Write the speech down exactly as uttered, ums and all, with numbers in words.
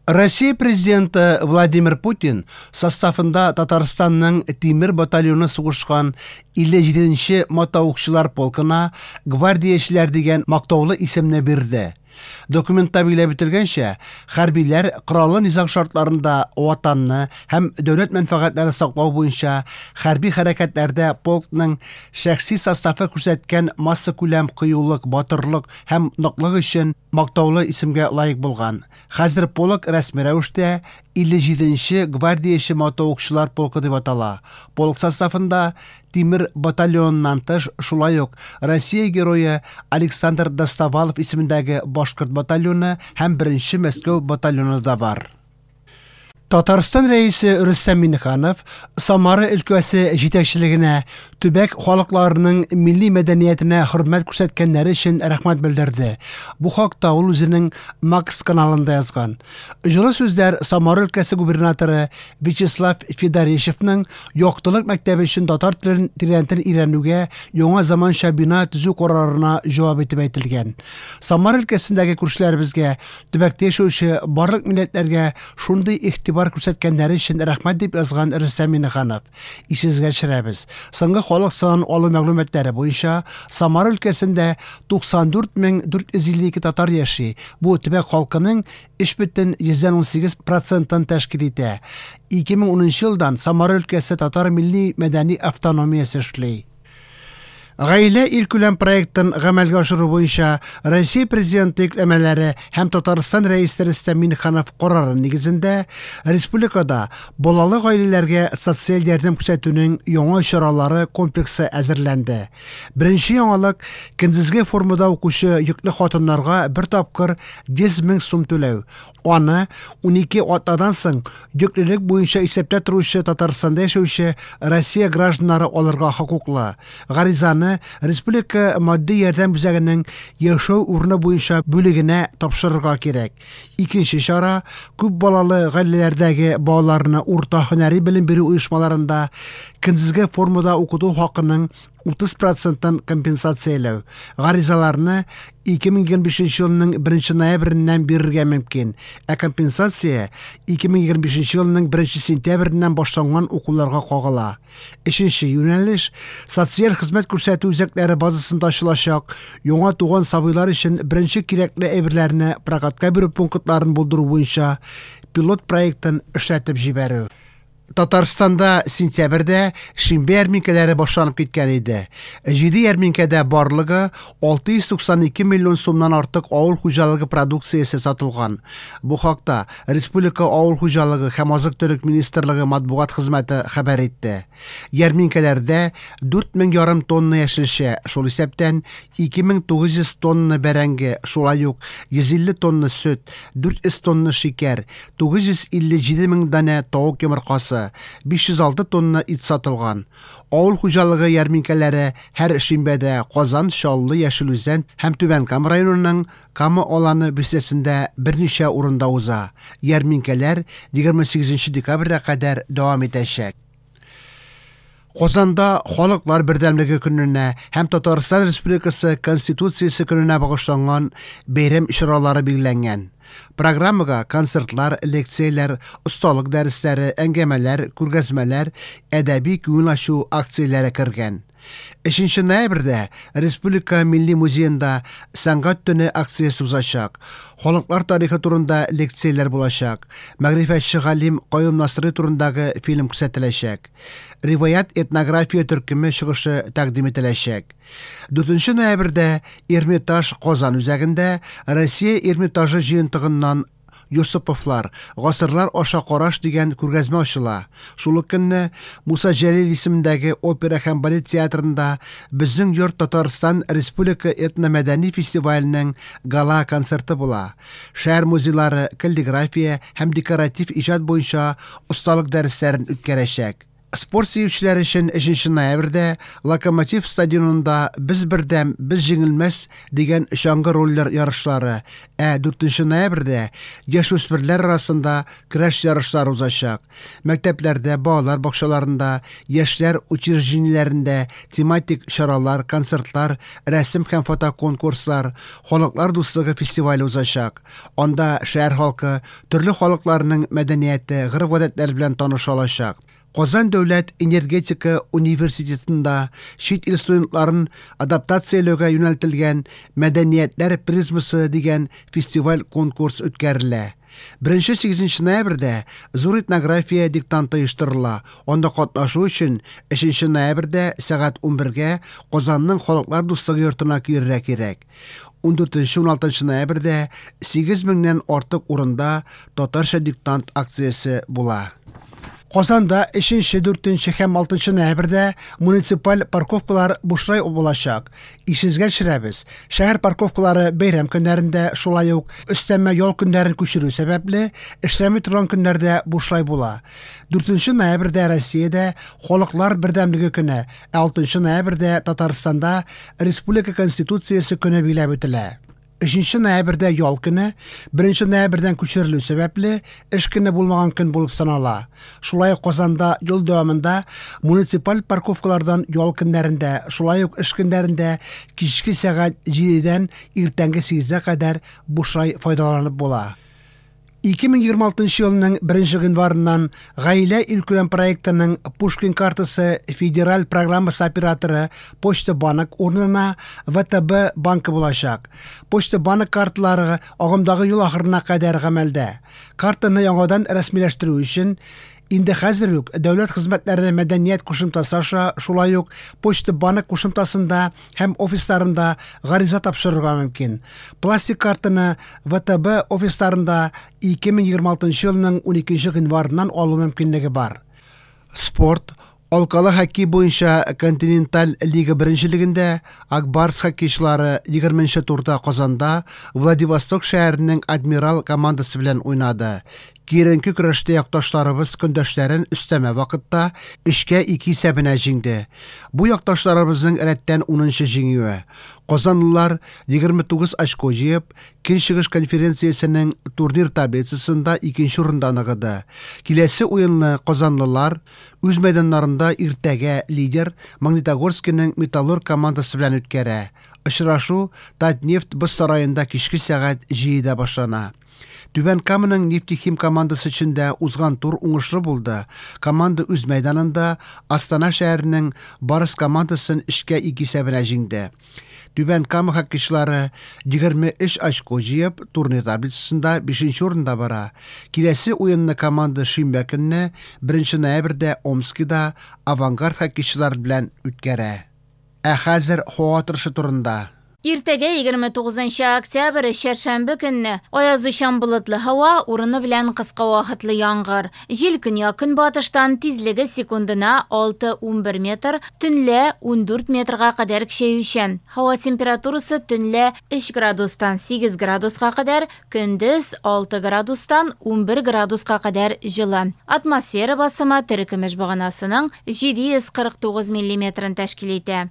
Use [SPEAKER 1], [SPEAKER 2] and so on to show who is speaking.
[SPEAKER 1] Россия президенты Владимир Путин составында Татарстанның Тимер батальоны сугышкан илле җиденче мотоукчылар полкына гвардиячеләр дигән мактаулы исемне бирде. Документта билгеләп үтелгәнчә, хәрбиләр кораллы низаг шартларында ватанны һәм дәүләт мәнфәгатьләрен саклау буенча хәрби хәрәкәтләрдә полкның шәхси составы күрсәткән массакүләм кыюлык, батырлык һәм ныклык өчен мактаулы исемгә лаек булган. Хәзер полк рәсми рәвештә илле җиденче гвардияче мотоукчылар полкы дип атала. Полк составында Тимер батальоныннан тыш шулай ук Россия герое Александр Достовалов исемендәге Башкорт батальоны һәм беренче Мәскәү батальоны да бар. Татарстан рәисе Рөстәм Миңнеханов Самара өлкәсе җитәкчелегенә төбәк халыкларының милли мәдәниятенә хөрмәт күрсәткәннәре өчен рәхмәт белдерде. Бу хакта ул үзенең Макс каналында язган. Җылы сүзләр Самара өлкәсе губернаторы Вячеслав Федорищевның Яктылык мәктәбе өчен татар телен тирәнтен өйрәнүгә яңа заманча бина төзү карарына җавап итеп әйтелгән. Самара өлкәсендәге күршеләребезгә, төбәктә яшәүче барлык милләтләргә шундый игътибар күрсәткәннәре өчен рәхмәт дип язган Рөстәм Миңнеханов. Исегезгә төшерәбез. Соңгы халык санын алу мәгълүматлары буенча Самара өлкәсендә туксан дүрт мең дүрт йөз илле ике татар яши. Бу төбәк халкының өч бөтен йөздән унсигез процентын тәшкил итә. Ике мең унынчы елдан Самара өлкәсе татар милли мәдәни автономиясе эшли. Гаилә илкүләм проектын гамәлгә ашыру буенча Россия президенты йөкләмәләре һәм Татарстан рәисе Рөстәм Миңнеханов карары нигезендә республикада балалы гаиләләргә социаль ярдәм күрсәтүнең яңа чаралары комплексы әзерләнде. Беренче яңалык көндезге формада укучы йөкле хатыннарга бер тапкыр йөз мең сум түләү. Аны унике атнадан соң йөклелек буенча исәптә торучы Татарстанда яшәүче Россия гражданнары алырга хокуклы. Гаризаны Республика матди ярдәм үзәгенең яшәү урыны буенча бүлегенә тапшырырга кирәк. Икенче чара күп балалы гаиләләрдәге балаларны урта һөнәри белем бирү оешмаларында көндезге формада укыту хакының утыз проценттан компенсацияләү. Гаризаларны ике мең егерме бишенче елның беренче ноябреннән бирергә мөмкин, ә компенсация ике мең егерме бишенче елның беренче сентябреннән башланган укуларга кагыла. Өченче юнәлеш социаль хезмәт күрсәтү үзәкләре базасында ачылачак яңа туган сабыйлар өчен беренче кирәкле әйберләрне прокатка бирү пунктларын булдыру буенча пилот проектын эшләтеп җибәрү. Татарстанда сентябрьдә шимбә ярминкәләре башланып киткән иде. Җиде ярминкәдә барлыгы алты йөз туксан ике миллион сумнан артык авыл хуҗалыгы продукциясе сатылган. Бу хакта Республика авыл хуҗалыгы һәм азык-төлек министрлыгы матбугат хезмәте хәбәр итте. Ярминкәләрдә дүрт мең ярым тонна яшелчә, шул исәптән ике мең тугыз йөз тонна бәрәңге, шулай ук йөз илле тонна сөт, дүрт йөз тонна шикәр, тугыз йөз илле җиде мең данә тавык йомыркасы, биш йөз алты тонна ит сатылган. Авыл хуҗалыгы ярминкәләре һәр шимбәдә Казан, Чаллы, Яшел Үзән һәм Түбән Кама районының Кама аланы бистәсендә берничә урында уза. Ярминкәләр егерме сигезенче декабрьгә кадәр дәвам итәчәк. Казанда Халыклар бердәмлеге көненә һәм Татарстан Республикасы Конституциясе көненә багышланган бәйрәм чаралары билгеләнгән. Программага концертлар, лекцияләр, осталык дәресләре, әңгәмәләр, күргәзмәләр, әдәби күңел ачу акцияләре кергән. Өченче ноябрьдә Республика Милли музеенда Сәнгать төне акциясе узачак. Халыклар тарихы турында лекцияләр булачак. Мәгърифәтче галим Каюм Насыйри турындагы фильм күрсәтеләчәк. Риваят этнография төркеме чыгышы тәкъдим ителәчәк. Дүртенче ноябрьдә Эрмитаж Казан үзәгендә Россия Эрмитажы җыентыгыннан Йосыповлар, гасырлар аша караш дигән күргәзмә ачыла. Шул ук көнне Муса Җәлил исемендәге опера һәм балет театрында Безнең йорт Татарстан Республика этномәдәни фестиваленең гала концерты була. Шәһәр музейлары каллиграфия һәм декоратив иҗат буенча осталык дәресләрен үткәрәчәк. Спорт сөючеләр өчен өченче ноябрьдә Локомотив стадионында «Без бердәм, без җиңелмәс» дигән чаңгы роллер ярышлары, ә дүртенче ноябрьдә яшүсмерләр арасында көрәш ярышлары узачак. Мәктәпләрдә, балалар бакчаларында, яшьләр учреждениеләрендә тематик чаралар, концертлар, рәсем һәм фотоконкурслар, Халыклар дуслыгы фестивале узачак. Анда шәһәр халкы төрле халыкларның мәдәнияте, гореф-гадәтләре белән таныша алачак. Казан дәүләт энергетика университетында чит ил студентларын адаптацияләүгә юнәлтелгән Мәдәниятләр призмасы дигән фестиваль-конкурс үткәрелә. Беренче сигезенче ноябрьдә зур этнография диктанты оештырыла. Анда катнашу өчен өченче ноябрьдә сәгать унбергә Казанның Халыклар дуслыгы йортына килергә кирәк. Ундүртенче уналтынчы ноябрьдә сигез меңнән артык урында татарча диктант акциясе була. Казанда өченче, дүртенче һәм алтынчы ноябрьдә муниципаль парковкалар бушлай булачак. Исегезгә төшерәбез. Шәһәр парковкалары бәйрәм көннәрендә, шулай ук өстәмә ял көннәрен күчерү сәбәпле, эшләми торган көннәрдә бушлай була. Дүртенче ноябрьдә Россиядә Халыклар бердәмлеге көне, ә алтынчы ноябрьдә Татарстанда Республика Конституциясе көне билгеләп үтелә. Өченче ноябрьдә ял көне, беренче ноябрьдән күчерелү сәбәпле, эш көне булмаган көн булып санала. Шулай ук Казанда ел дәвамында муниципаль парковкалардан ял көннәрендә, шулай ук эш көннәрендә кичке сәгать җидедән иртәнге сигезгә кадәр бушлай файдаланып була. Ике мең егерме алтынчы елның беренче гыйнварыннан Гаилә илкүләм проектының Пушкин картасы федераль программасы операторы Почта банк урынына вэ тэ бэ банкы булачак. Почта банк карталары агымдагы ел ахырына кадәр гамәлдә. Картаны яңадан рәсмиләштерү өчен инде хәзер үк дәүләт хезмәтләре мәдәният кушымтасы аша, шулай ук Почта банк кушымтасында һәм офисларында гариза тапшырырга мөмкин. Пластик картаны вэ тэ бэ офисларында ике мең егерме алтынчы елның уникенче гыйнварыннан алу мөмкинлеге бар. Спорт. Алкалы хоккей буенча континенталь лига беренчелегендә Акбарс хоккейчылары егерменче турда Казанда Владивосток шәһәренең Адмирал командасы белән уйнады. Киеренке көрәштә якташларыбыз көндәшләрен өстәмә вакытта өчкә ике исәбенә җиңде. Бу якташларыбызның рәттән унынчы җиңүе. Казанлылар егерме тугыз очко җыеп, Көнчыгыш конференциясенең турнир таблицасында икенче урында ныгыды. Киләсе уенны казанлылар үз мәйданнарында иртәгә лидер Магнитогорскиның Металлург командасы белән үткәрә. Очрашу Татнефть боз сараенда кичке сәгать җидедә башлана. Түбән Каманың Нефтехим командасы өчен дә узган тур уңышлы булды. Команда үз мәйданында Астана шәһәренең Барыс командасын өчкә ике исәбенә җиңде. Түбән Кама хоккейчылары егерме өч очко җыеп, турнир таблицасында бишенче урында бара. Киләсе уенны команда шимбә көнне беренче ноябрьдә Омскида Авангард хоккейчылары белән үткәрә. Ә хәзер һава торышы турында.
[SPEAKER 2] Иртәгә егерме тугызынчы октябрь чәршәмбе көнне аязучан болытлы һава, урыны белән кыска вакытлы яңгыр. Җил көньяк-көнбатыштан, тизлеге секундына алты унбер метр, төнлә ундүрт метрга кадәр көчәючән. Һава температурасы төнлә өч градустан сигез градуска кадәр, көндез алты градустан унбер градуска кадәр җылы. Атмосфера басымы терекөмеш баганасының җиде йөз кырык тугыз миллиметрын тәшкил итә.